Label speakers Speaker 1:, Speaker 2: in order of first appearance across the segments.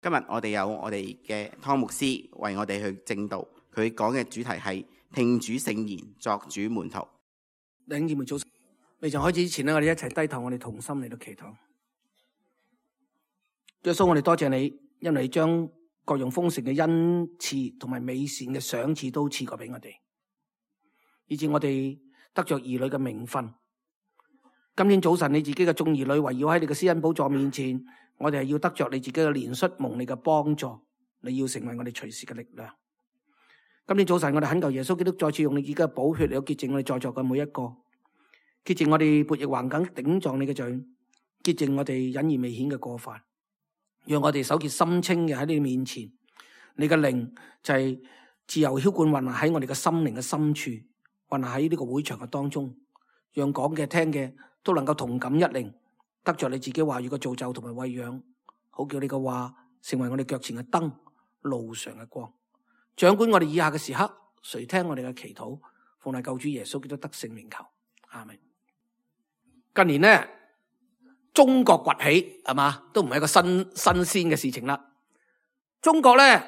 Speaker 1: 今日我哋有我哋嘅湯牧師為我哋去證道，佢講嘅主題係聽主聖言，作主門徒。
Speaker 2: 弟兄姊妹早晨，未曾開始之前咧，我哋一齊低頭，我哋同心嚟到祈禱。耶穌，我哋多謝你，因為你將各樣豐盛嘅恩賜同埋美善嘅賞賜都賜過俾我哋，以致我哋得着兒女嘅名分。今天早晨你自己嘅眾兒女圍繞喺你嘅施恩寶座面前，我哋係要得着你自己嘅憐恤，蒙你嘅幫助，你要成為我哋隨時嘅力量。今天早晨我哋懇求耶穌基督再次用你自己嘅寶血嚟到潔淨我哋在座嘅每一個，潔淨我哋悖逆橫梗頂撞你嘅罪，潔淨我哋隱而未顯嘅過犯，讓我哋手潔心清嘅喺你面前。你嘅靈就係自由澆灌運行喺我哋嘅心靈嘅深處，運行喺呢個會場嘅當中，讓講嘅聽嘅都能夠同感一靈，得着你自己話語嘅造就同埋餵養，好叫你嘅話成為我哋腳前嘅燈，路上嘅光。掌管我哋以下嘅時刻，垂聽我哋嘅祈禱，奉賴救主耶穌基督得勝名求，阿們。近年呢，中國崛起係嘛，都唔係一個新鮮嘅事情啦。中國呢，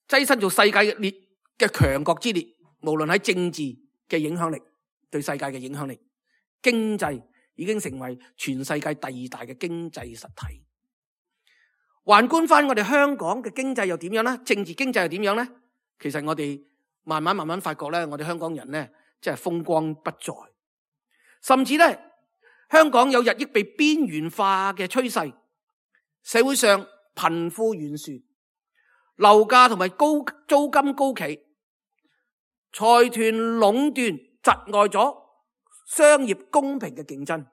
Speaker 2: 躋身做世界列嘅強國之列，無論喺政治嘅影響力，對世界嘅影響力，經濟已經成為全世界第二大嘅經濟實體。環觀翻我哋香港嘅經濟又點樣呢？政治經濟又點樣呢？其實我哋慢慢發覺咧，我哋香港人咧，即係風光不再，甚至咧，香港有日益被邊緣化嘅趨勢，社會上貧富懸殊，樓價同埋高租金高企，財團壟斷窒礙咗商業公平嘅競爭，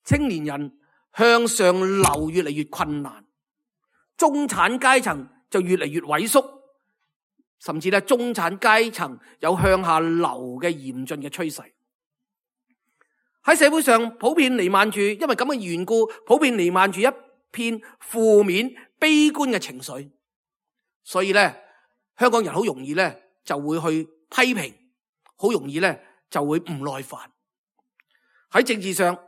Speaker 2: 青年人向上流越嚟越困難，中產階層就越嚟越萎縮。甚至咧，中產階層有向下流嘅嚴峻嘅趨勢，喺社會上普遍彌漫住，因為咁嘅緣故，普遍彌漫住一片負面、悲觀嘅情緒。所以咧，香港人好容易咧就會去批評，好容易咧就會唔耐煩。喺政治上，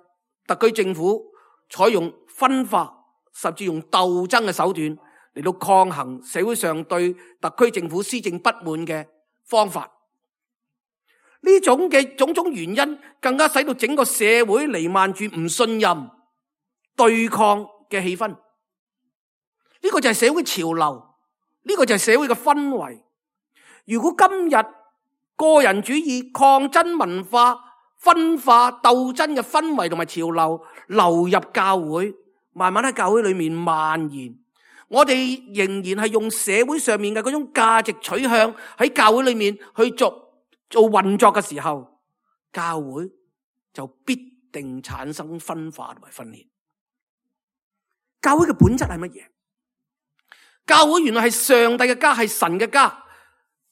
Speaker 2: 特區政府採用分化，甚至用鬥爭嘅手段嚟到抗衡社會上對特區政府施政不滿嘅方法，呢種嘅種種原因，更加使到整個社會彌漫住唔信任、對抗嘅氣氛。呢個就係社會潮流，呢個就係社會嘅氛圍。如果今日個人主義、抗爭文化、分化、鬥爭嘅氛圍同埋潮流流入教會，慢慢喺教會裏面蔓延，我哋仍然係用社會上面嘅嗰種價值取向喺教會裏面去做運作嘅時候，教會就必定產生分化同埋分裂。教會嘅本質係乜嘢？教會原來係上帝嘅家，係神嘅家。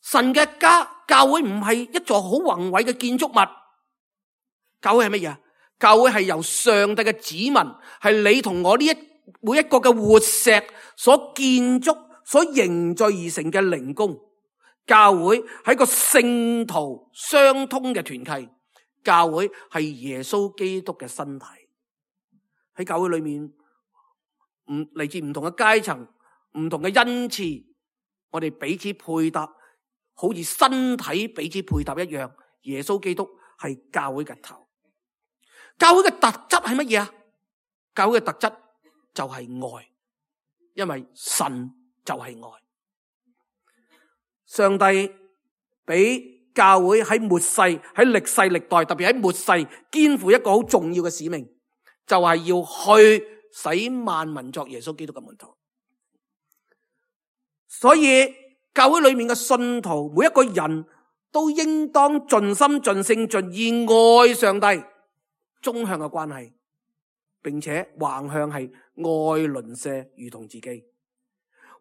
Speaker 2: 神嘅家，教會唔係一座好宏偉嘅建築物。教會係乜嘢？教會係由上帝嘅子民，係你同我呢每一個嘅活石所建築、所凝聚而成嘅靈宮。教會係個聖徒相通嘅團契。教會係耶穌基督嘅身體。喺教會裏面，嚟自唔同嘅階層、唔同嘅恩賜，我哋彼此配搭，好似身體彼此配搭一樣。耶穌基督係教會嘅頭。教會嘅特質係乜嘢啊？教會嘅特質就係愛，因為神就係愛。上帝俾教會喺末世、喺歷世歷代，特別喺末世，肩負一個好重要嘅使命，就係要去使萬民作耶穌基督嘅門徒。所以教會裏面嘅信徒，每一個人都應當盡心盡性盡意愛上帝，縱向嘅關係，並且橫向係愛鄰舍如同自己。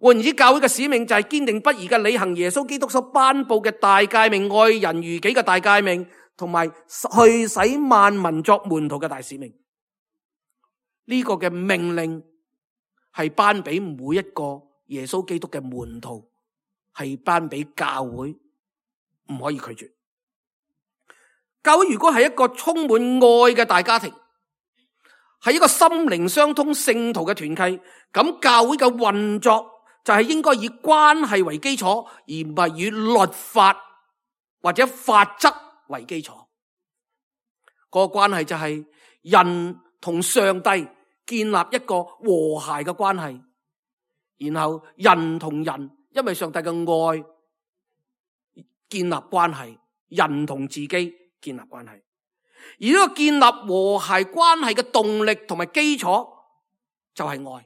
Speaker 2: 換言之，教會嘅使命就係堅定不移嘅履行耶穌基督所頒布嘅大誡命，愛人如己嘅大誡命，同埋去使萬民作門徒嘅大使命。呢個嘅命令係頒俾每一個耶穌基督嘅門徒，係頒俾教會，唔可以拒絕。教會如果係一個充滿愛嘅大家庭，係一個心靈相通聖徒嘅團契，咁教會嘅運作就係應該以關係為基礎，而唔係以律法或者法則為基礎。個關係就係人同上帝建立一個和諧嘅關係，然後人同人因為上帝嘅愛建立關係，人同自己建立關係。而呢個建立和諧關係嘅動力同埋基礎就係愛，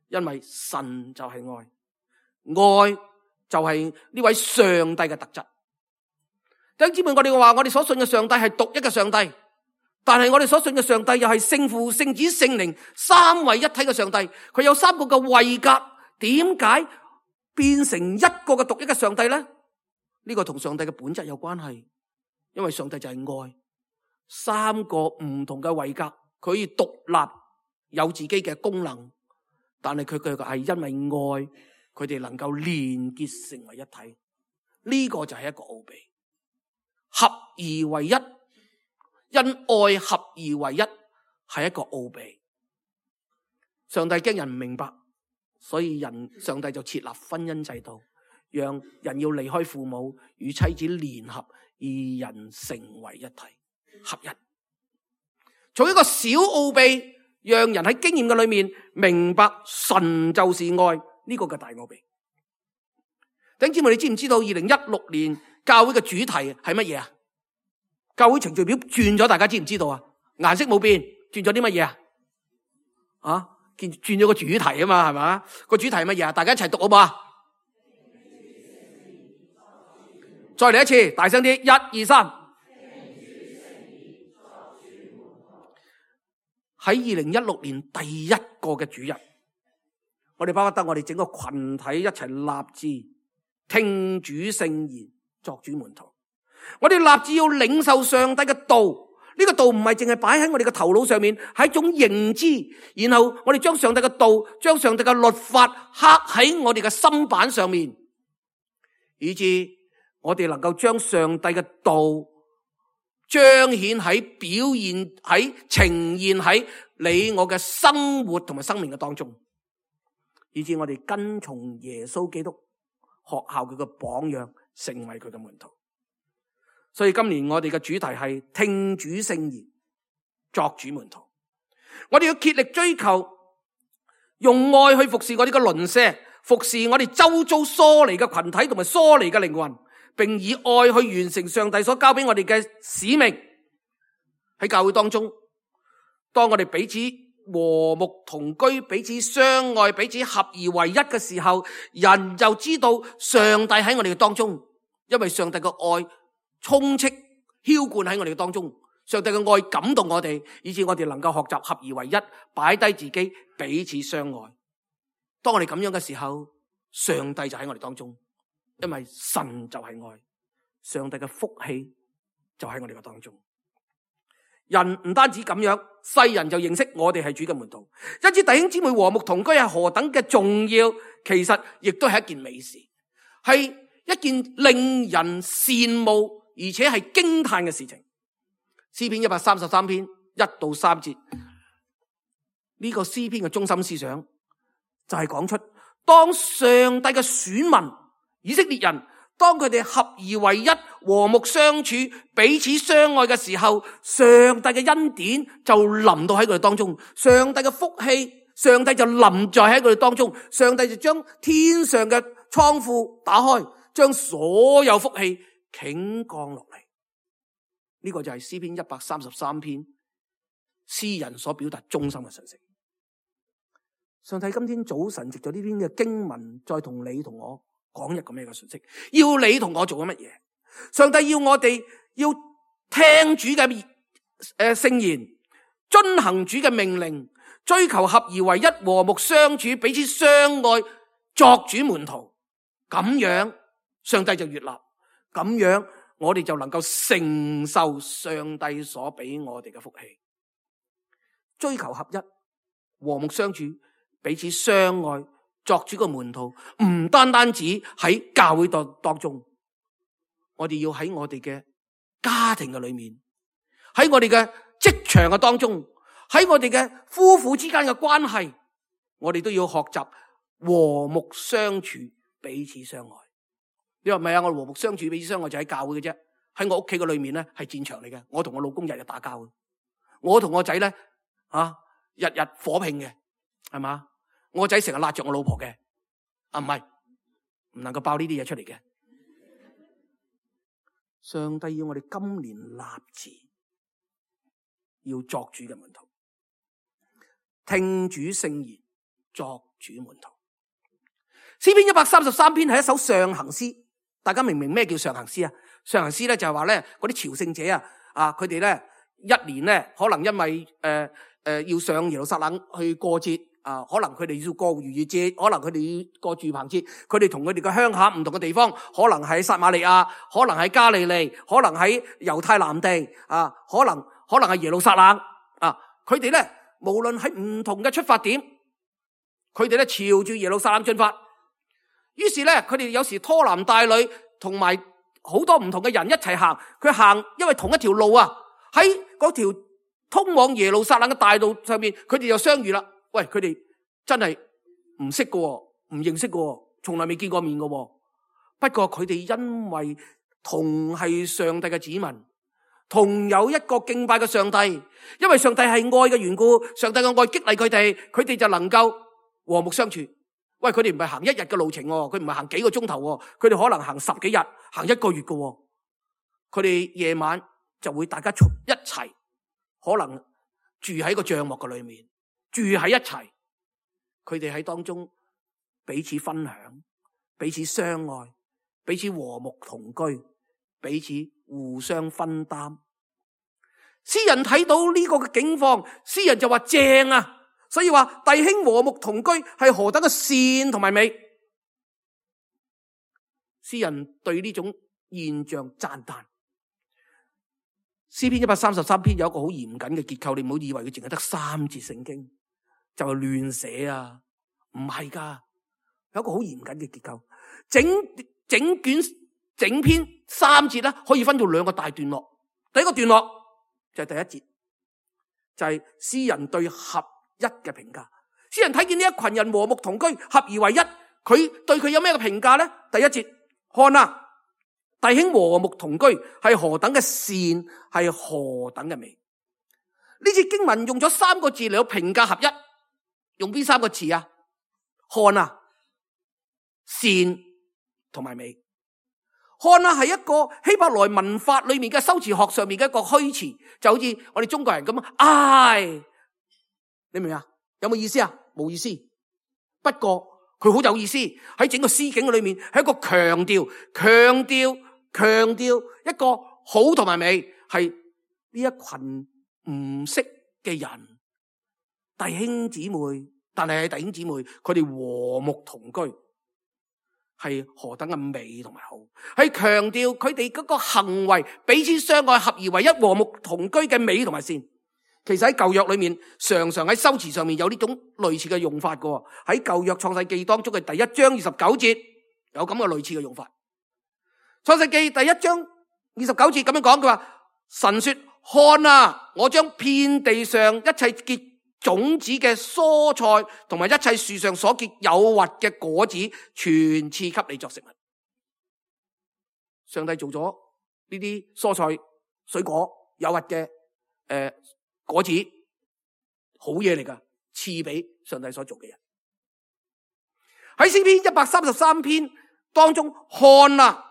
Speaker 2: 因為神就係愛，愛就係呢位上帝嘅特質。弟兄姊妹，我哋話我哋所信嘅上帝係獨一嘅上帝，但係我哋所信嘅上帝又係聖父、聖子、聖靈三位一體嘅上帝，佢有三個嘅位格，點解變成一個嘅獨一嘅上帝呢？呢個同上帝嘅本質有關係，因為上帝就係愛。三個唔同嘅位格，佢可以獨立有自己嘅功能，但係佢係因為愛，佢哋能夠連結成為一體。呢個就係一個奧秘，合而為一，因愛合而為一係一個奧秘。上帝驚人唔明白，所以上帝就設立婚姻制度，讓人要離開父母與妻子聯合，二人成為一體。合一，從一個小奧秘，讓人喺經驗嘅裏面明白神就是愛呢個嘅大奧秘。弟兄姊妹，你知唔知道2016年教會嘅主題係乜嘢啊？教會程序表轉咗，大家知唔知道啊？顏色冇變，轉咗啲乜嘢啊？啊，轉咗個主題啊嘛，係嘛？個主題係乜嘢啊？大家一齊讀好嘛？再嚟一次，大聲啲，1、2、3。喺2016年第一個嘅主日，我哋巴不得我哋整個群體一齊立志聽主聖言，作主門徒。我哋立志要領受上帝嘅道，呢個道唔係淨係擺喺我哋嘅頭腦上面，係一種認知。然後我哋將上帝嘅道，將上帝嘅律法刻喺我哋嘅心板上面，以致我哋能夠將上帝嘅道彰顯喺表現喺呈現喺你我嘅生活同埋生命嘅當中，以致我哋跟從耶穌基督學效佢嘅榜樣，成為佢嘅門徒。所以今年我哋嘅主題係聽主聖言，作主門徒。我哋要竭力追求用愛去服侍我哋嘅鄰舍，服侍我哋周遭疏離嘅群體同埋疏離嘅靈魂，並以愛去完成上帝所交俾我哋嘅使命。喺教會當中，當我哋彼此和睦同居，彼此相愛，彼此合而為一嘅時候，人就知道上帝喺我哋嘅當中，因為上帝嘅愛充斥澆灌喺我哋嘅當中，上帝嘅愛感動我哋，以致我哋能夠學習合而為一，擺低自己，彼此相愛。當我哋咁樣嘅時候，上帝就喺我哋當中，因為神就係愛，上帝嘅福氣就喺我哋嘅當中。人唔單止咁樣，世人就認識我哋係主嘅門徒。因此弟兄姊妹和睦同居係何等嘅重要，其實亦都係一件美事，係一件令人羨慕而且係驚嘆嘅事情。詩篇133篇1到3節，呢個詩篇嘅中心思想就係講出，當上帝嘅選民以色列人，當佢哋合而為一，和睦相處，彼此相愛嘅時候，上帝嘅恩典就臨到喺佢哋當中，上帝嘅福氣，上帝就臨在喺佢哋當中，上帝就將天上嘅倉庫打開，將所有福氣傾降落嚟。呢個就係詩篇133篇詩人所表達中心嘅信息。上帝今天早晨藉咗呢篇嘅經文，再同你同我講一個咩嘅信息？要你同我做緊乜嘢？上帝要我哋要聽主嘅聖言，遵行主嘅命令，追求合而為一，和睦相處，彼此相愛，作主門徒。咁樣上帝就悅納，咁樣我哋就能夠承受上帝所俾我哋嘅福氣。追求合一，和睦相處，彼此相愛，作主嘅門徒，唔單單止喺教會當中，我哋要喺我哋嘅家庭嘅裏面，喺我哋嘅職場嘅當中，喺我哋嘅夫婦之間嘅關係，我哋都要學習和睦相處，彼此相愛。你話唔係啊？我和睦相處，彼此相愛就喺教會嘅啫。喺我屋企嘅裏面咧，係戰場嚟嘅。我同我老公日日打交嘅，我同我仔咧日日火拼嘅，係嘛？我仔成日拉着我老婆嘅，唔係，唔能夠爆呢啲嘢出嚟嘅。上帝要我哋今年立志，要作主嘅門徒，聽主聖言，作主門徒。詩篇133篇係一首上行詩，大家明唔明咩叫上行詩啊？上行詩咧就係話咧，嗰啲朝聖者佢哋咧一年咧可能因為要上耶路撒冷去過節可能佢哋要過逾越節，可能佢哋要過住棚節，佢哋同佢哋嘅鄉下唔同嘅地方，可能喺撒瑪利亞，可能喺加利利，可能喺猶太南地可能係耶路撒冷佢哋咧無論喺唔同嘅出發點，佢哋咧朝住耶路撒冷進發。於是咧佢哋有時拖男帶女，同埋好多唔同嘅人一齊行，佢行因為同一條路喺嗰條通往耶路撒冷嘅大路上面，佢哋就相遇啦。喂，佢哋真係唔識嘅，唔認識嘅，從來未見過面嘅。不過佢哋因為同係上帝嘅子民，同有一個敬拜嘅上帝，因為上帝係愛嘅緣故，上帝嘅愛激勵佢哋就能夠和睦相處。喂，佢哋唔係行一日嘅路程，佢唔係行幾個鐘頭，佢哋可能行10幾日，行1個月嘅。佢哋夜晚就會大家一齊，可能住喺個帳幕嘅裏面，住喺一齊。佢哋喺當中彼此分享，彼此相愛，彼此和睦同居，彼此互相分擔。詩人睇到呢個嘅境況，詩人就話正啊！所以話弟兄和睦同居係何等嘅善同埋美。詩人對呢種現象讚嘆。詩篇133篇有一個好嚴謹嘅結構，你唔好以為佢淨係得3節聖經就係亂寫啊，唔係噶，有一個好嚴謹嘅結構。整篇3節咧可以分做2個大段落。第一個段落就係第一節，就係詩人對合一嘅評價。詩人睇見呢一群人和睦同居，合而為一，佢對佢有咩嘅評價呢？第一節，看啊，弟兄和睦同居係何等嘅善，係何等嘅美。呢節經文用咗3個字嚟到評價合一，用邊3個詞啊？看啊，善同埋美。看啊係一個希伯來文法裏面嘅修辭學上面嘅一個虛詞，就好似我哋中國人咁唉，你明唔明啊？有冇意思啊？冇意思。不過佢好有意思，喺整個詩境裏面係一個強調一個好同埋美，係呢一群唔識嘅人弟兄姊妹，但係弟兄姊妹佢哋和睦同居係何等嘅美同埋好，係強調佢哋嗰個行為彼此相愛合而為一和睦同居嘅美同埋善。其實喺舊約裏面常常喺修辭上面有呢種類似嘅用法嘅。喺舊約創世記當中嘅第1章29節有咁嘅類似嘅用法。創世記第1章29節咁樣講，佢話神說，看啊，我將遍地上一切結種子嘅蔬菜同埋一切樹上所結有核嘅果子全賜給你作食物。上帝做咗呢啲蔬菜水果有核嘅果子，好嘢嚟噶，賜俾上帝所做嘅人。喺詩篇133篇當中，看啊，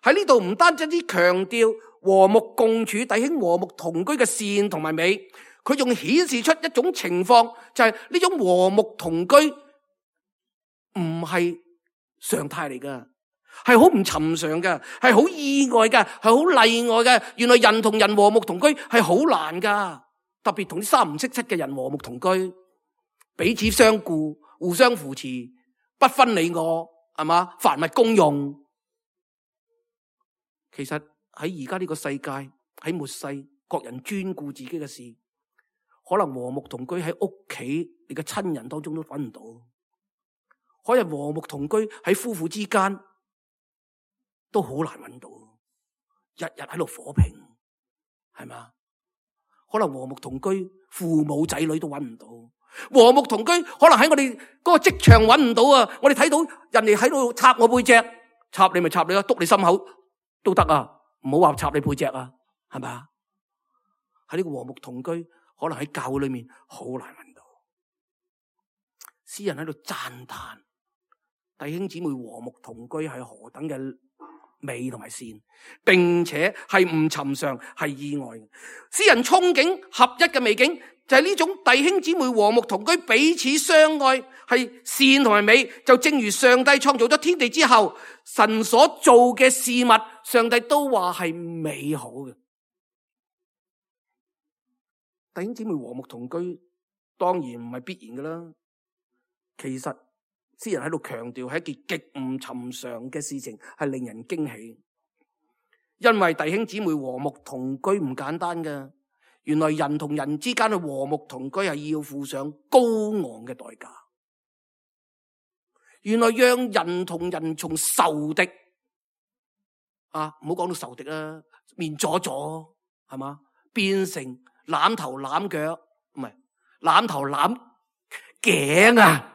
Speaker 2: 喺呢度唔單止強調和睦共處、弟兄和睦同居嘅善同埋美，佢仲顯示出一種情況，就係呢種和睦同居唔係常態嚟噶，係好唔尋常嘅，係好意外嘅，係好例外嘅。原來人同人和睦同居係好難噶。特別同啲3唔識7嘅人和睦同居，彼此相顧，互相扶持，不分你我，係嘛？凡物公用。其實喺而家呢個世界，喺末世，各人專顧自己嘅事，可能和睦同居喺屋企你嘅親人當中都揾唔到，可能和睦同居喺夫婦之間都好難揾到，日日喺度火拼，係嘛？可能和睦同居，父母仔女都揾唔到。和睦同居可能喺我哋嗰個職場揾唔到啊！我哋睇到人哋喺度插我背脊，插你咪插你啊，篤你心口都得啊！唔好話插你背脊啊，係咪啊？喺呢個和睦同居，可能喺教會裏面好難揾到。詩人喺度讚嘆弟兄姊妹和睦同居係何等嘅美同埋善，並且係唔尋常，係意外嘅。詩人憧憬合一嘅美景，就係呢種弟兄姊妹和睦同居，彼此相愛，係善同埋美。就正如上帝創造咗天地之後，神所做嘅事物，上帝都話係美好嘅。弟兄姊妹和睦同居，當然唔係必然噶啦。其實詩人喺度強調係一件極唔尋常嘅事情，係令人驚喜。因為弟兄姊妹和睦同居唔簡單噶，原來人同人之間嘅和睦同居係要付上高昂嘅代價。原來讓人同人從仇敵唔好講到仇敵啦，面阻阻係嘛，變成攬頭攬腳，唔係攬頭攬頸啊，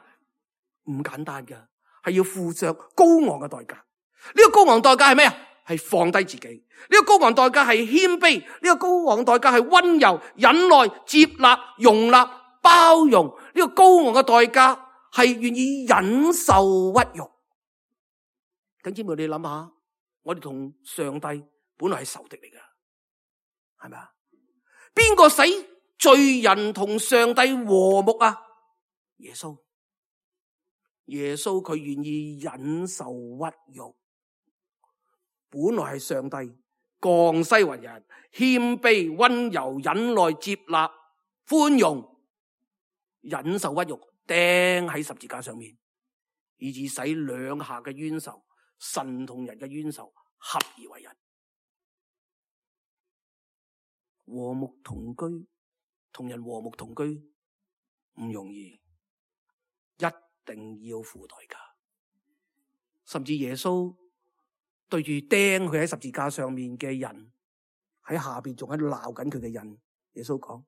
Speaker 2: 唔簡單噶，係要付上高昂嘅代價。呢個高昂代價係咩啊？係放低自己。呢個高昂代價係謙卑。呢個高昂代價係溫柔、忍耐、接納、容納、包容。呢個高昂嘅代價係願意忍受屈辱。弟兄姊妹，你諗下，我哋同上帝本來係仇敵嚟噶，係咪啊？邊個使罪人同上帝和睦啊？耶穌。耶穌佢願意忍受屈辱，本來係上帝降世為人，謙卑、溫柔、忍耐、接納、寬容，忍受屈辱，釘喺十字架上面，以致使兩下嘅冤仇，神同人嘅冤仇合而為人。和睦同居，同人和睦同居唔容易，一定要付代價。甚至耶穌對住釘佢喺十字架上面嘅人，喺下邊仲喺度鬧緊佢嘅人，耶穌講：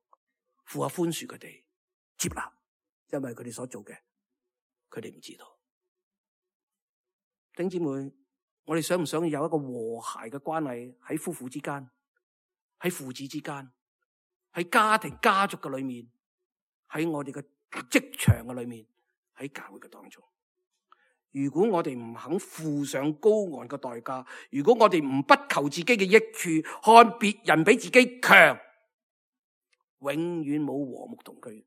Speaker 2: 父啊，寬恕佢哋，接納，因為佢哋所做嘅，佢哋唔知道。弟兄姊妹，我哋想唔想有一個和諧嘅關係喺夫婦之間，喺父子之間，喺家庭家族嘅裏面，喺我哋嘅職場嘅裏面，喺教會嘅當中？如果我哋唔肯付上高昂嘅代價，如果我哋唔不求自己嘅益處，看別人比自己強，永遠冇和睦同居。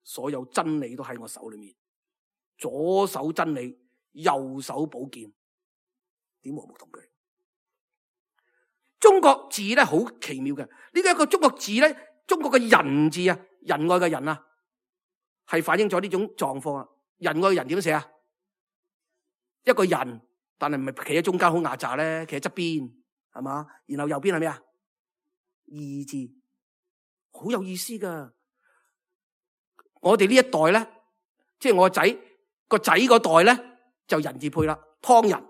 Speaker 2: 所有真理都喺我手裏面，左手真理，右手寶劍，點和睦同居？中國字咧好奇妙嘅，呢個一個中國字咧，中國嘅仁字啊，仁愛嘅仁啊，係反映咗呢種狀況啊。仁愛嘅仁點寫啊？一個人，但係唔係企喺中間好壓榨咧，企喺側邊係嘛？然後右邊係咩啊？義字，好有意思噶。我哋呢一代咧，即係我個仔嗰代咧，就仁字配啦，湯仁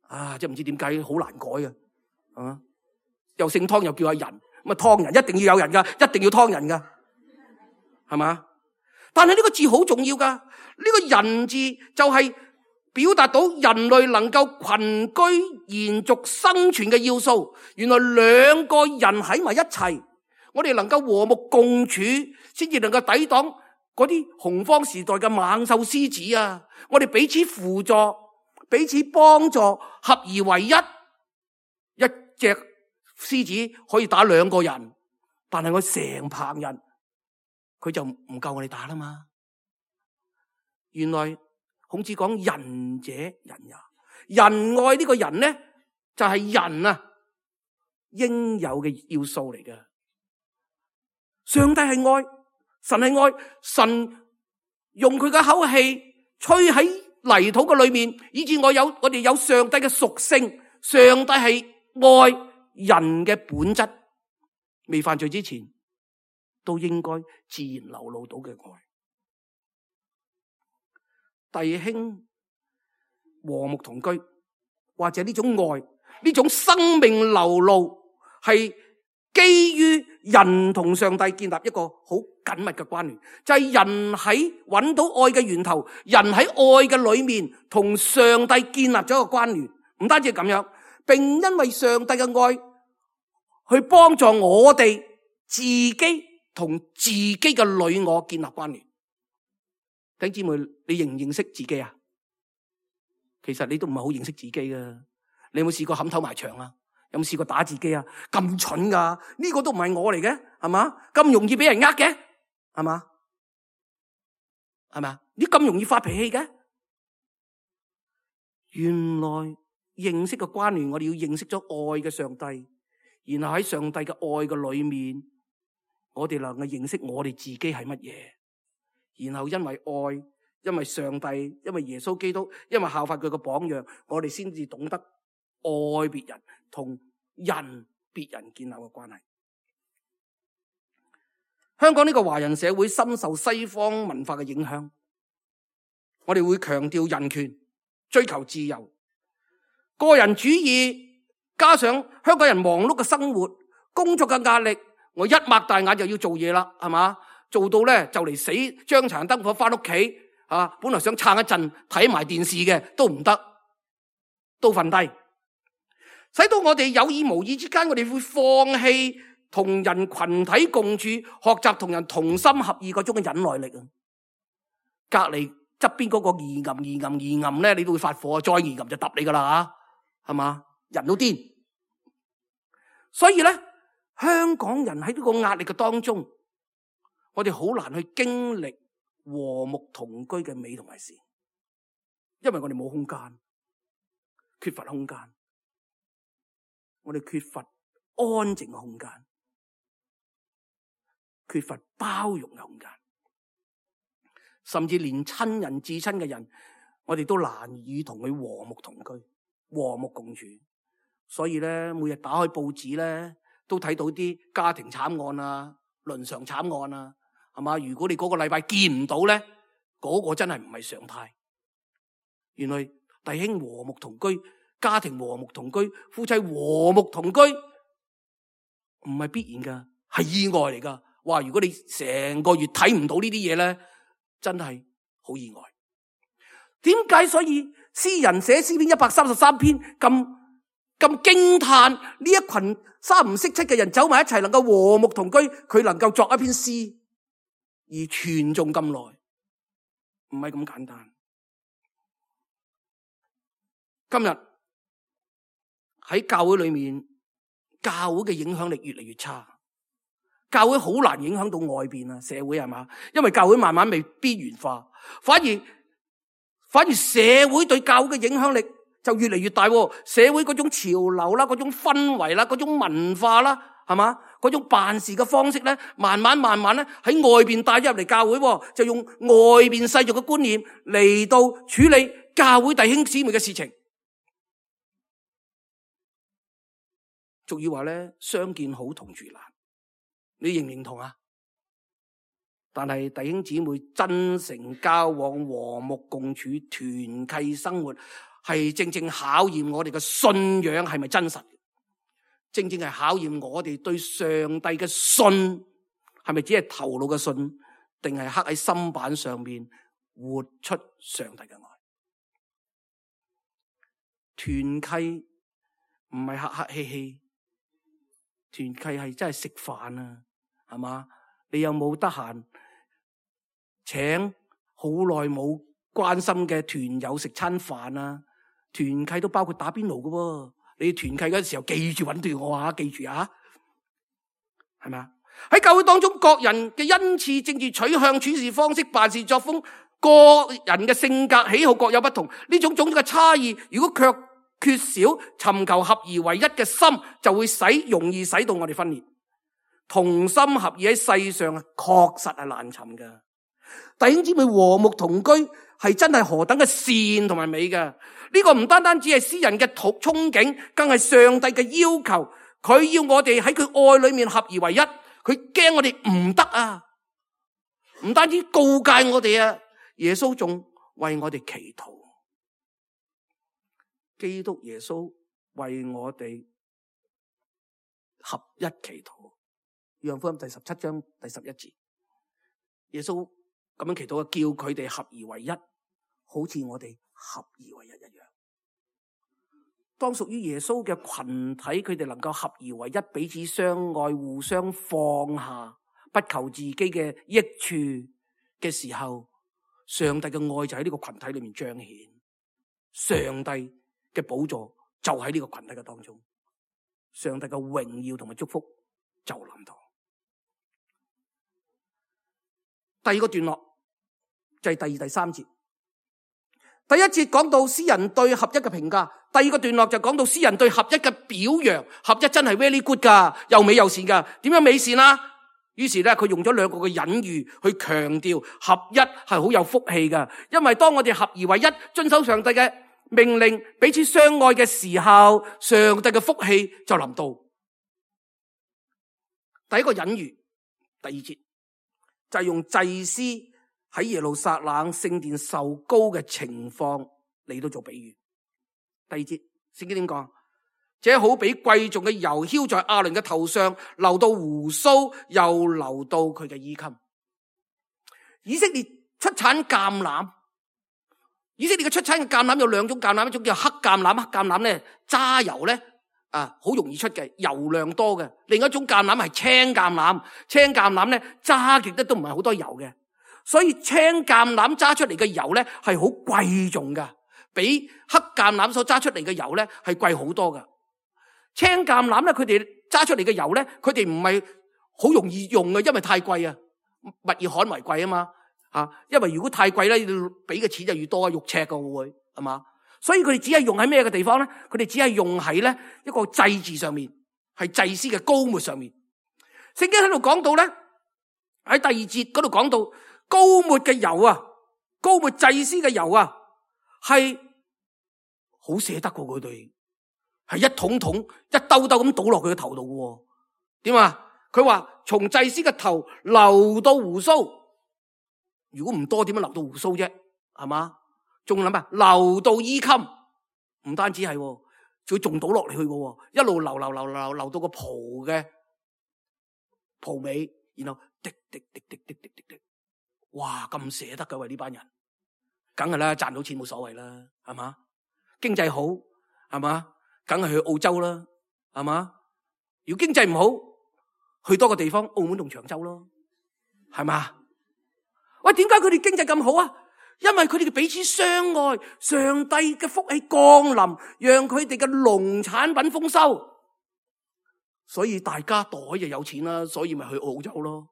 Speaker 2: 啊，即係唔知點解好難改啊，係嘛？又姓湯又叫阿仁，咁啊湯仁一定要有人噶，一定要湯仁噶，係嘛？但係呢個字好重要噶，呢個仁字就係表達到人類能夠群居延續生存嘅要素。原來兩個人喺埋一齊，我哋能夠和睦共處，先至能夠抵擋嗰啲洪荒時代嘅猛獸獅子啊！我哋彼此輔助，彼此幫助，合而為一。一隻獅子可以打兩個人，但係我成棚人，佢就唔夠我哋打啦嘛。原來孔子講仁者仁也，仁愛呢個人呢，就係人啊應有嘅要素嚟嘅。上帝係愛，神係愛，神用佢嘅口氣吹喺泥土嘅裏面，以致我哋有上帝嘅屬性。上帝係愛，人嘅本質未犯罪之前都應該自然流露到嘅愛。弟兄和睦同居，或者呢種愛，呢種生命流露，係基於人同上帝建立一個好緊密嘅關聯，就係人喺揾到愛嘅源頭，人喺愛嘅裏面同上帝建立咗一個關聯。唔單止係咁樣，並因為上帝嘅愛去幫助我哋自己同自己嘅女我建立關聯。弟兄姊妹，你認唔認識自己啊？其實你都唔係好認識自己噶。你有冇試過冚頭埋牆啊？有冇試過打自己啊？咁蠢噶？呢個都唔係我嚟嘅，係嘛？咁容易俾人呃嘅，係嘛？係咪？你咁容易發脾氣嘅？原來認識嘅關聯，我哋要認識咗愛嘅上帝，然後喺上帝嘅愛嘅裏面，我哋能夠認識我哋自己係乜嘢。然後因為愛，因為上帝，因為耶穌基督，因為效法佢嘅榜樣，我哋先至懂得愛別人，同別人建立嘅關係。香港呢個華人社會深受西方文化嘅影響，我哋會強調人權，追求自由，個人主義，加上香港人忙碌嘅生活，工作嘅壓力，我一擘大眼就要做嘢啦，係嘛？做到咧就嚟死，將殘燈火翻屋企啊！本來想撐一陣睇埋電視嘅都唔得，都瞓低，使到我哋有意無意之間，我哋會放棄同人群體共處，學習同人同心合意嗰種嘅忍耐力啊！隔籬側邊嗰個二暗咧，你都會發火，再二暗就揼你噶啦吓，係嘛？人都癲，所以咧，香港人喺呢個壓力嘅當中，我哋好難去經歷和睦同居嘅美同埋善，因為我哋冇空間，缺乏空間，我哋缺乏安靜嘅空間，缺乏包容嘅空間，甚至連親人至親嘅人，我哋都難以同佢和睦同居、和睦共處。所以咧，每日打開報紙咧，都睇到啲家庭慘案啊、倫常慘案啊。係嘛？如果你嗰個禮拜見唔到咧，嗰個真係唔係常態。原來弟兄和睦同居，家庭和睦同居，夫妻和睦同居，唔係必然噶，係意外嚟噶。哇！如果你成個月睇唔到呢啲嘢咧，真係好意外。點解所以詩人寫詩篇133篇咁驚嘆呢一群三唔識七嘅人走埋一齊，能夠和睦同居，佢能夠作一篇詩而傳頌咁耐，唔係咁簡單。今日喺教會裏面，教會嘅影響力越嚟越差，教會好難影響到外邊啊，社會係嘛？因為教會慢慢被邊緣化，反而社會對教會嘅影響力就越嚟越大。社會嗰種潮流啦，嗰種氛圍啦，嗰種文化啦，係嘛？嗰種辦事嘅方式咧，慢慢咧喺外邊帶咗入嚟教會，就用外邊世俗嘅觀念嚟到處理教會弟兄姊妹嘅事情。俗語話咧，相見好同住難，你認唔認同啊？但係弟兄姊妹真誠交往、和睦共處、團契生活，係正正考驗我哋嘅信仰係咪真實？正正係考驗我哋對上帝嘅信係咪只係頭腦嘅信，定係刻喺心板上面活出上帝嘅愛？團契唔係客客氣氣，團契係真係食飯啊，係嘛？你有冇得閒請好耐冇關心嘅團友食餐飯啊？團契都包括打邊爐㗎喎。你團契嗰時候記住揾對我啊，記住啊，係咪啊？喺教會當中，各人嘅恩賜、政治取向、處事方式、辦事作風，個人嘅性格喜好各有不同。呢種種嘅差異，如果卻缺少尋求合而為一嘅心，就會容易使到我哋分裂。同心合意喺世上確實係難尋㗎。弟兄姊妹和睦同居係真係何等嘅善同埋美㗎。呢個唔單單只係詩人嘅憧憬，更係上帝嘅要求。佢要我哋喺佢愛裏面合而為一，佢驚我哋唔得啊！唔單止告誡我哋啊，耶穌仲為我哋祈禱。基督耶穌為我哋合一祈禱。約翰福音第17章第11節，耶穌咁樣祈禱，叫佢哋合而為一，好似我哋合而為一一樣。當屬於耶穌嘅群體，佢哋能夠合而為一，彼此相愛，互相放下，不求自己嘅益處嘅時候，上帝嘅愛就喺呢個群體裏面彰顯，上帝嘅寶座就喺呢個群體嘅當中，上帝嘅榮耀同埋祝福就臨到。第二個段落就係第2、第3節。第一節講到詩人對合一嘅評價，第二個段落就講到詩人對合一嘅表揚。合一真係 very good 噶，又美又善噶。點樣美善啊？於是咧，佢用咗2個嘅隱喻去強調合一係好有福氣噶。因為當我哋合而為一，遵守上帝嘅命令，彼此相愛嘅時候，上帝嘅福氣就臨到。第一個隱喻，第2節就係用祭司喺耶路撒冷聖殿受膏嘅情況嚟到做比喻。第2節聖經點講？這好比貴重嘅油澆在亞倫嘅頭上，流到鬍鬚，又流到佢嘅衣襟。以色列出產橄欖，以色列嘅出產嘅橄欖有2種橄欖，一種叫黑橄欖，黑橄欖咧揸油咧好容易出嘅，油量多嘅；另一種橄欖係青橄欖，青橄欖咧揸極都唔係好多油嘅。所以青橄欖揸出嚟嘅油咧係好貴重噶，比黑橄欖所揸出嚟嘅油咧係貴好多噶。青橄欖咧，佢哋揸出嚟嘅油咧，佢哋唔係好容易用嘅，因為太貴啊，物以罕為貴啊嘛，因為如果太貴咧，要俾嘅錢就越多，肉赤噶會係嘛，所以佢哋只係用喺咩嘅地方咧？佢哋只係用喺咧一個祭祀上面，係祭司嘅膏抹上面。聖經喺度講到咧，喺第2節嗰度講到。膏抹嘅油啊，膏抹祭司嘅油啊，係好捨得過佢哋，係一桶桶、一兜兜咁倒落佢嘅頭度嘅。點啊？佢話從祭司嘅頭流到鬍鬚，如果唔多，點樣流到鬍鬚啫？係嘛？仲諗啊，流到衣襟，唔單止係，仲仲倒落嚟去嘅，一路流到個袍嘅袍尾，然後滴滴滴滴滴滴滴滴。哇，咁捨得噶喂，呢班人，梗係啦，賺到錢冇所謂啦，係嘛？經濟好，係嘛？梗係去澳洲啦，係嘛？如果經濟唔好，去多個地方，澳門同長洲咯，係嘛？喂，點解佢哋經濟咁好啊？因為佢哋嘅彼此相愛，上帝嘅福氣降臨，讓佢哋嘅農產品豐收，所以大家袋就有錢啦，所以咪去澳洲咯，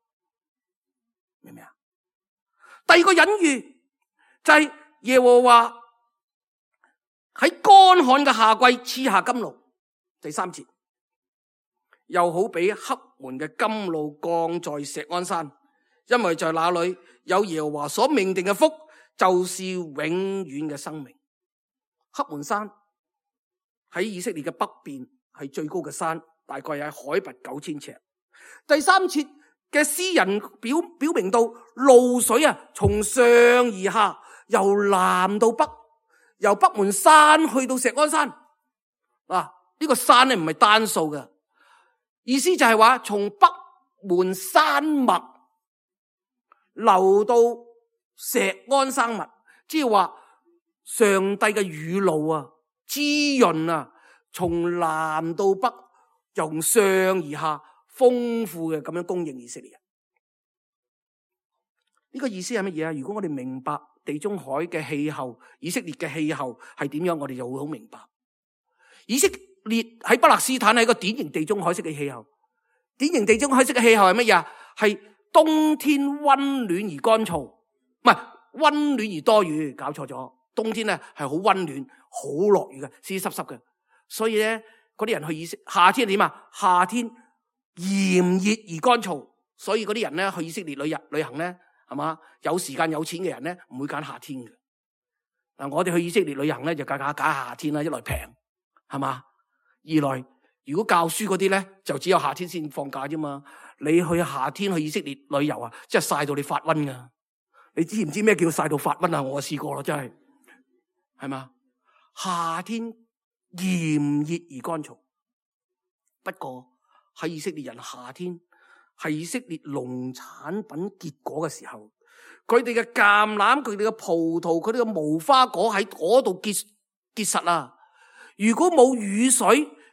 Speaker 2: 明唔明啊？第二個隱喻就係耶和華喺乾旱嘅夏季賜下甘露。第3節又好比黑門嘅甘露降在錫安山，因為在那裏有耶和華所命定嘅福，就是永遠嘅生命。黑門山喺以色列嘅北邊，係最高嘅山，大概喺海拔9000尺。第3節嘅詩人表明到露水啊，從上而下，由南到北，由北門山去到錫安山。呢個山咧唔係單數嘅，意思就係話從北門山脈流到錫安山脈，即係話上帝嘅雨露啊，滋潤啊，從南到北，由上而下，豐富嘅咁樣供應以色列人。呢個意思係乜嘢啊？如果我哋明白地中海嘅氣候，以色列嘅氣候係點樣，我哋就會好明白。以色列喺巴勒斯坦係一個典型地中海式嘅氣候。典型地中海式嘅氣候係乜嘢啊？係冬天溫暖而乾燥，唔係溫暖而多雨。搞錯咗，冬天咧係好溫暖、好落雨嘅，濕濕濕嘅。所以咧，嗰啲人去夏天點啊？夏天炎熱而乾燥，所以嗰啲人咧去以色列旅行咧，係嘛？有時間有錢嘅人咧，唔會揀夏天嘅。我哋去以色列旅行咧，就揀夏天啦，一來平，係嘛？二來如果教書嗰啲咧，就只有夏天先放假啫嘛。你去夏天去以色列旅遊啊，真係曬到你發瘟噶。你知唔知咩叫曬到發瘟啊？我試過啦，真係嘛？夏天炎熱而乾燥。不過喺以色列人夏天係以色列農產品結果嘅時候，佢哋嘅橄欖、佢哋嘅葡萄、佢哋嘅無花果喺嗰度結實啊！如果冇雨水，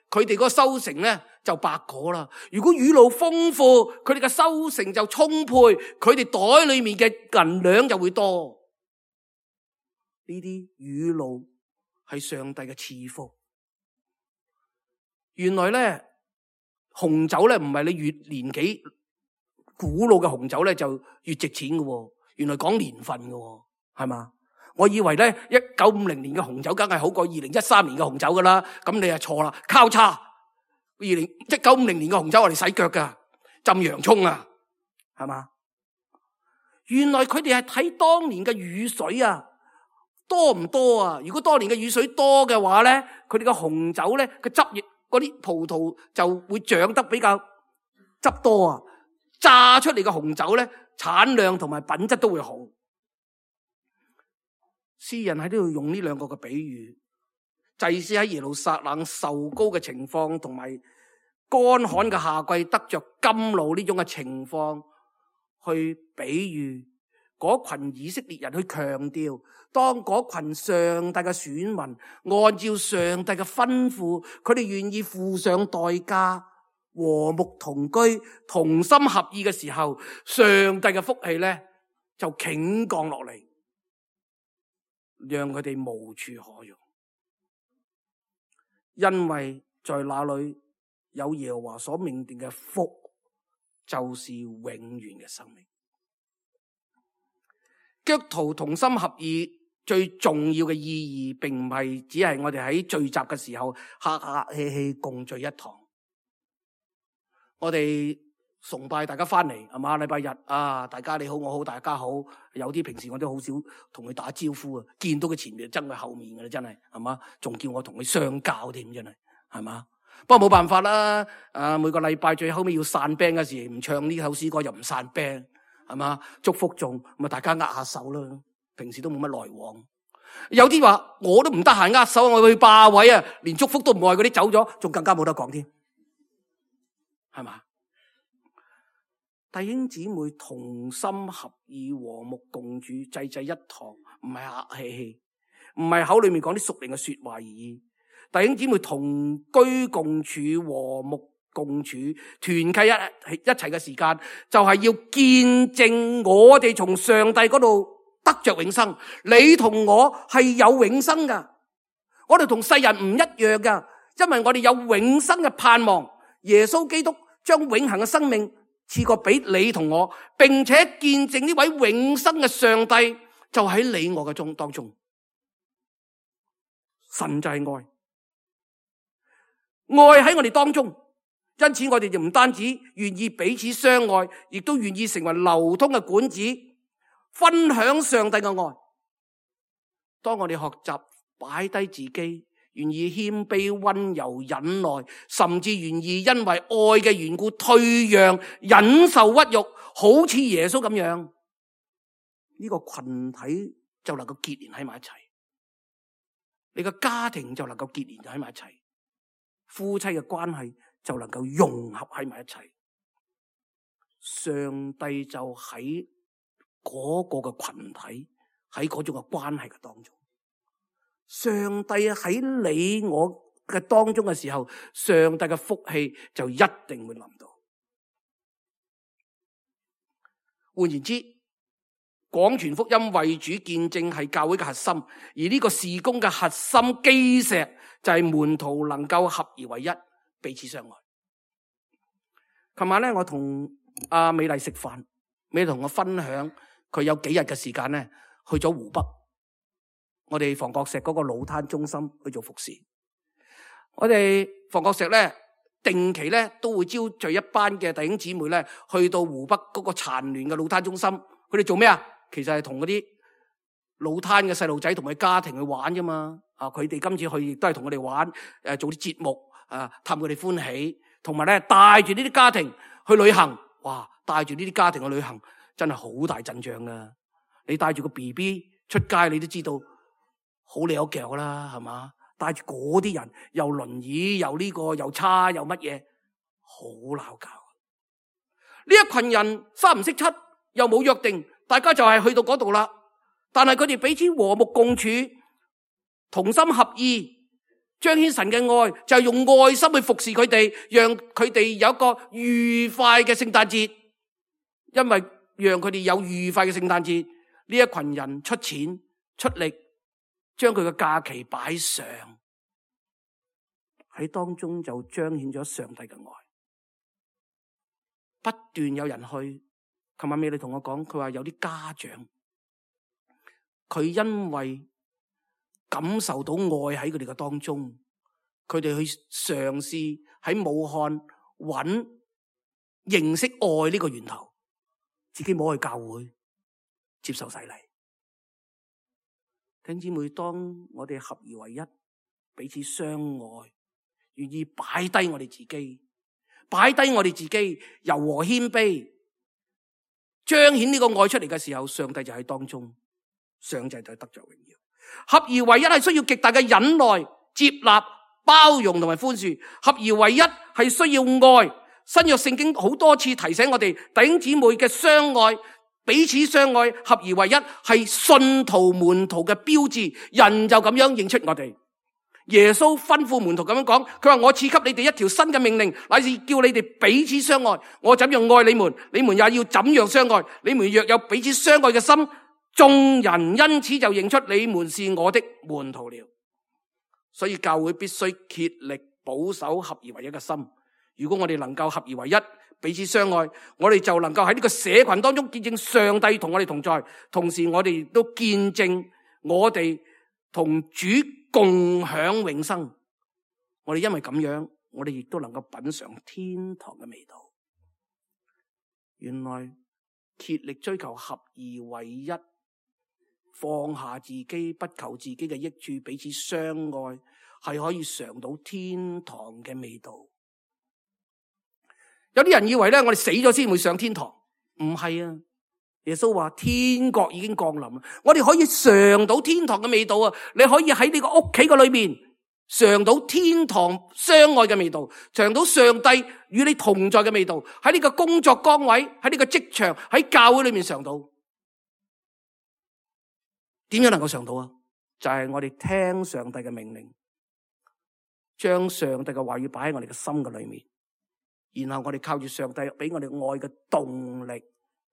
Speaker 2: 佢哋嗰個收成咧就白果啦。如果雨露豐富，佢哋嘅收成就充沛，佢哋袋裏面嘅銀兩就會多。呢啲雨露係上帝嘅賜福。原來咧紅酒咧唔係你越年紀古老嘅紅酒咧就越值錢嘅，原來講年份嘅，係嘛？我以為咧1950年嘅紅酒梗係好過2013年嘅紅酒噶啦，咁你係錯啦，交叉。1950年嘅紅酒我哋洗腳噶，浸洋蔥啊，係嘛？原來佢哋係睇當年嘅雨水啊，多唔多啊？如果當年嘅雨水多嘅話咧，佢哋嘅紅酒咧個汁液嗰啲葡萄就會長得比較汁多啊，榨出嚟嘅紅酒咧產量同埋品質都會好。詩人喺呢度用呢兩個嘅比喻，祭司喺耶路撒冷受膏嘅情況，同埋乾旱嘅夏季得着甘露呢種嘅情況，去比喻嗰群以色列人，去強調當嗰群上帝嘅選民按照上帝嘅吩咐，佢哋願意付上代價，和睦同居，同心合意嘅時候，上帝嘅福氣咧就傾降落嚟，讓佢哋無處可容，因為在那裏有耶和華所命定嘅福，就是永遠嘅生命。基督徒同心合意最重要嘅意義，並唔係只係我哋喺聚集嘅時候客客氣氣共聚一堂。我哋崇拜大家翻嚟係嘛，禮拜日啊，大家你好我好大家好，有啲平時我都好少同佢打招呼啊，見到佢前面就憎佢後面嘅啦，真係嘛，仲叫我同佢相交添，真係嘛。不過冇辦法啦，每個禮拜最後尾要散 band 嘅時，唔唱呢首詩歌又唔散 band，係嘛，祝福仲咁啊，大家握下手啦。平時都冇乜來往，有啲話我都唔得閒握手，我去霸位啊，連祝福都唔愛嗰啲走咗，仲更加冇得講添。係嘛？弟兄姊妹同心合意和睦共處，濟一堂，唔係客氣氣，唔係口裏面講啲屬靈嘅說話而已。弟兄姊妹同居共處，和睦共處，團契一齊嘅時間，就係要見證我哋從上帝嗰度得着永生。你同我係有永生噶，我哋同世人唔一樣噶，因為我哋有永生嘅盼望。耶穌基督將永恆嘅生命賜過俾你同我，並且見證呢位永生嘅上帝就喺你我嘅當中。神就係愛，愛喺我哋當中，因此我哋就唔單止願意彼此相愛，亦都願意成為流通嘅管子，分享上帝嘅愛。當我哋學習擺低自己，願意謙卑、溫柔、忍耐，甚至願意因為愛嘅緣故退讓、忍受屈辱，好似耶穌咁樣，呢個群體就能夠結連喺埋一齊，你嘅家庭就能夠結連喺埋一齊，夫妻嘅關係就能夠融合喺埋一齊。上帝就喺嗰個嘅群體，喺嗰種嘅關係嘅當中。上帝喺你我嘅當中嘅時候，上帝嘅福氣就一定會臨到。換言之，廣傳福音、為主見證係教會嘅核心，而呢個事工嘅核心基石就係門徒能夠合而為一，彼此相愛。琴晚咧，我同阿美麗食飯，美麗同我分享佢有幾日嘅時間咧，去咗湖北。我哋房角石嗰個老灘中心去做服侍，我哋房角石咧定期咧都會招聚一班嘅弟兄姊妹咧去到湖北嗰個殘聯嘅老灘中心，佢哋做咩啊？其實係同嗰啲老灘嘅細路仔同佢家庭去玩啫嘛。佢哋今次去亦都係同我哋玩，做啲節目氹佢哋歡喜，同埋咧帶住呢啲家庭去旅行。哇！帶住呢啲家庭去旅行真係好大陣仗噶。你帶住個 BB 出街，你都知道。好你有腳啦，係嘛？帶住嗰啲人，又輪椅，又呢個，又叉，又乜嘢，好鬧交。呢一群人三唔識七，又冇約定，大家就係去到嗰度啦。但係佢哋彼此和睦共處，同心合意，彰顯神嘅愛，就係用愛心去服侍佢哋，讓佢哋有一個愉快嘅聖誕節。因為讓佢哋有愉快嘅聖誕節，呢一群人出錢出力，將佢嘅假期擺上喺當中，就彰顯咗上帝嘅愛。不斷有人去。琴晚美女同我講，佢話有啲家長，佢因為感受到愛喺佢哋嘅當中，佢哋去嘗試喺武漢認識愛呢個源頭，自己冇去教會接受洗禮。弟兄姊妹，當我哋合而為一，彼此相愛，願意擺低我哋自己，柔和謙卑，彰顯呢個愛出嚟嘅時候，上帝就喺當中，上帝就得着榮耀。合而為一係需要極大嘅忍耐、接納、包容同埋寬恕。合而為一係需要愛。新約聖經好多次提醒我哋弟兄姊妹嘅相愛，彼此相愛，合而為一係信徒門徒嘅標誌。人就咁樣認出我哋。耶穌吩咐門徒咁樣講，佢話我賜給你哋一條新嘅命令，乃是叫你哋彼此相愛。我怎樣愛你們，你們也要怎樣相愛。你們若有彼此相愛嘅心，眾人因此就認出你們是我的門徒了。所以教會必須竭力保守合而為一嘅心。如果我哋能夠合而為一，彼此相愛，我哋就能夠喺呢個社群當中見證上帝同我哋同在，同時我哋亦都見證我哋同主共享永生。我哋因為咁樣，我哋亦都能夠品嘗天堂嘅味道。原來竭力追求合而為一，放下自己，不求自己嘅益處，彼此相愛，係可以嘗到天堂嘅味道。有啲人以為咧，我哋死咗先會上天堂，唔係啊！耶穌話天國已經降臨，我哋可以嘗到天堂嘅味道啊！你可以喺呢個屋企嘅裏面嘗到天堂相愛嘅味道，嘗到上帝與你同在嘅味道，喺呢個工作崗位，喺呢個職場，喺教會裏面嘗到。點樣能夠嘗到啊？就係我哋聽上帝嘅命令，將上帝嘅話語擺喺我哋嘅心嘅裏面，然後我哋靠住上帝俾我哋愛嘅動力，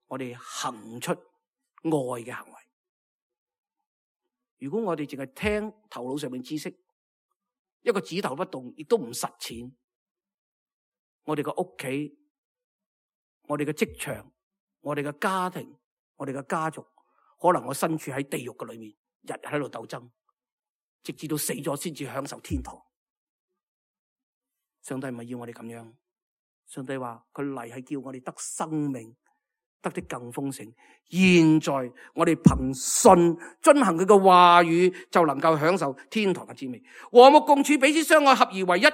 Speaker 2: 我哋行出愛嘅行為。如果我哋淨係聽頭腦上面知識，一個指頭不動，亦都唔實踐，我哋嘅屋企、我哋嘅職場、我哋嘅家庭、我哋嘅家族，可能我身處喺地獄嘅裏面，日日喺度鬥爭，直至到死咗先至享受天堂。上帝唔係要我哋咁樣，上帝話佢嚟係叫我哋得生命，得的更豐盛。現在我哋憑信遵行佢嘅話語，就能夠享受天堂嘅滋味。和睦共處，彼此相愛，合而為一，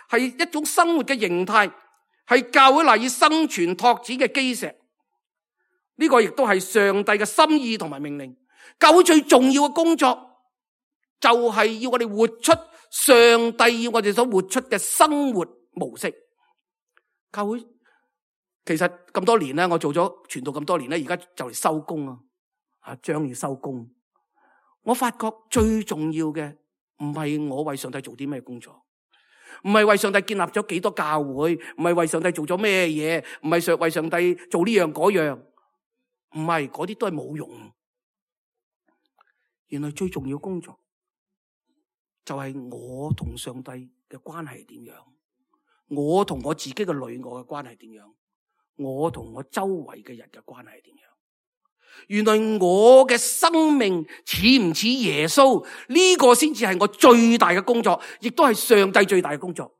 Speaker 2: 係一種生活嘅形態，係教會賴以生存拓展嘅基石。呢個亦都係上帝嘅心意同埋命令。教會最重要嘅工作就係要我哋活出上帝要我哋所活出嘅生活模式。教會其實咁多年咧，我做咗傳道咁多年咧，而家就嚟收工啊，將要收工。我發覺最重要嘅唔係我為上帝做啲咩工作，唔係為上帝建立咗幾多教會，唔係為上帝做咗咩嘢，唔係為上帝做呢樣嗰樣。唔係，嗰啲都係冇用。原來最重要工作就係我同上帝嘅關係點樣，我同我自己嘅女我嘅關係點樣，我同我周圍嘅人嘅關係點樣。原來我嘅生命似唔似耶穌，呢個先至係我最大嘅工作，亦都係上帝最大嘅工作。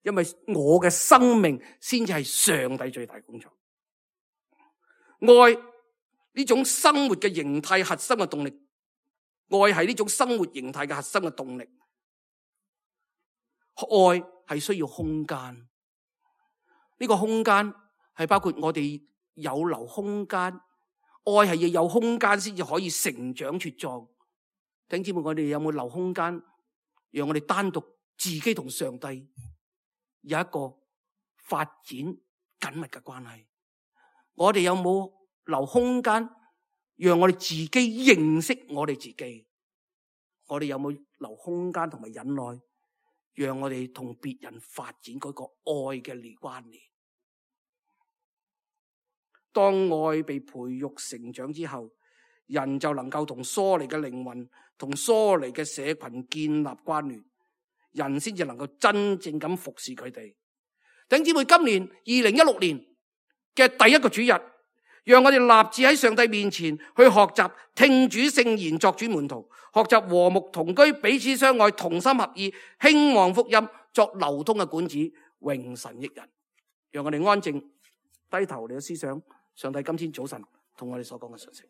Speaker 2: 因為我嘅生命先至係上帝最大嘅工作。愛呢種生活嘅形態核心嘅動力，愛係呢種生活形態嘅核心嘅動力。愛係需要空間，呢個空間係包括我哋有留空間，愛係要有空間先至可以成長茁壯。弟兄姊妹，我哋有冇留空間，讓我哋單獨自己同上帝有一個發展緊密嘅關係？我哋有冇留空間讓我哋自己認識我哋自己？我哋有冇留空間同埋忍耐，讓我哋同別人發展嗰個愛嘅關聯？當愛被培育成長之後，人就能夠同疏離嘅靈魂、同疏離嘅社群建立關聯，人先至能夠真正咁服侍佢哋。弟兄姊妹，今年2016年嘅第一個主日，讓我哋立志喺上帝面前去學習聽主聖言，作主門徒，學習和睦同居，彼此相愛，同心合意，興旺福音，作流通嘅管子，榮神益人。讓我哋安靜低頭嚟思想上帝今天早晨同我哋所講嘅信息。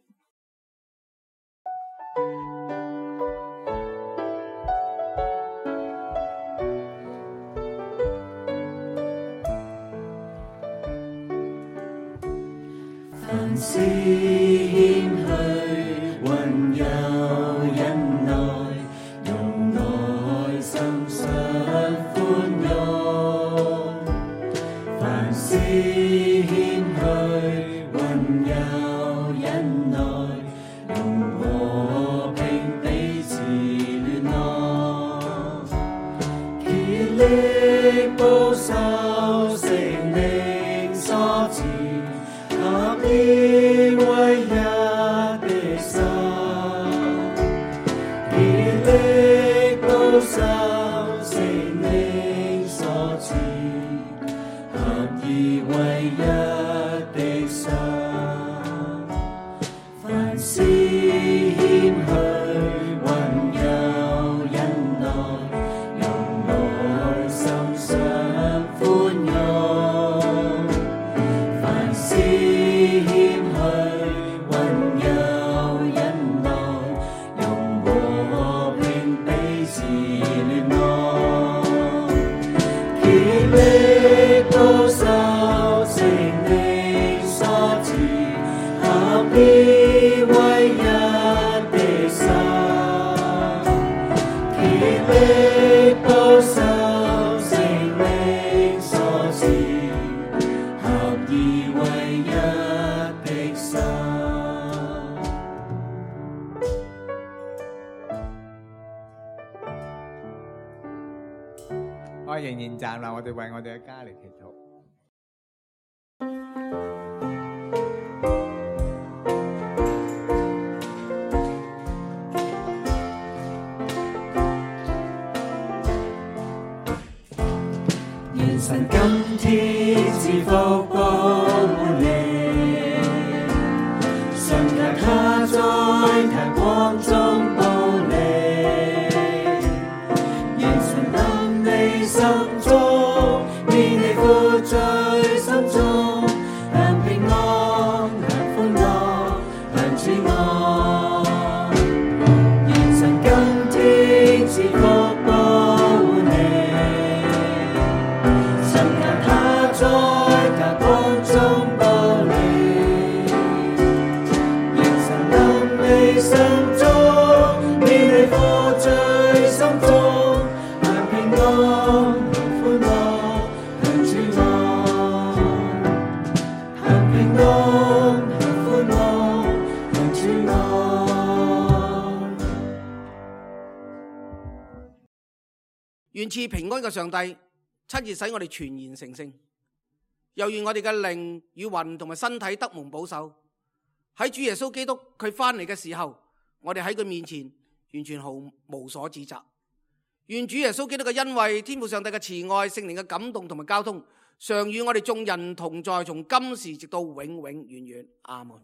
Speaker 3: 凡事謙虛，溫柔忍耐，用愛心常寬容。凡事謙虛，溫柔忍耐，用和平彼此聯絡，竭力保守聖靈所賜合意為一的心，竭力保守聖靈所賜合意為一的心。凡事謙虛，溫柔忍耐，用愛心常寬容。凡事謙虛，溫柔忍耐，用和平彼此聯絡，竭力保守聖靈所賜合意為一的心，竭力保守聖靈所賜合意為一的心。
Speaker 4: 我仍然站立，我哋為我哋嘅家嚟祈禱。
Speaker 3: 願神今天賜福保護你，信靠他在他光中保你。願神臨你心中，免你負罪心中，享平安，享歡樂，享主愛。願神今天賜福保護你，信靠他在他光中保你。願神臨你心中，免你負罪心中，享平安，享歡樂，享主愛。享平安，享歡樂，享主愛。
Speaker 2: 願賜平安嘅上帝親自使我哋全然成聖，又願我哋嘅靈與魂同埋身體得蒙保守。喺主耶穌基督佢翻嚟嘅時候，我哋喺佢面前完全毫無所指責。願主耶穌基督嘅恩惠、天父上帝嘅慈愛、聖靈嘅感動同埋交通，常與我哋眾人同在，從今時直到永永遠遠。阿門。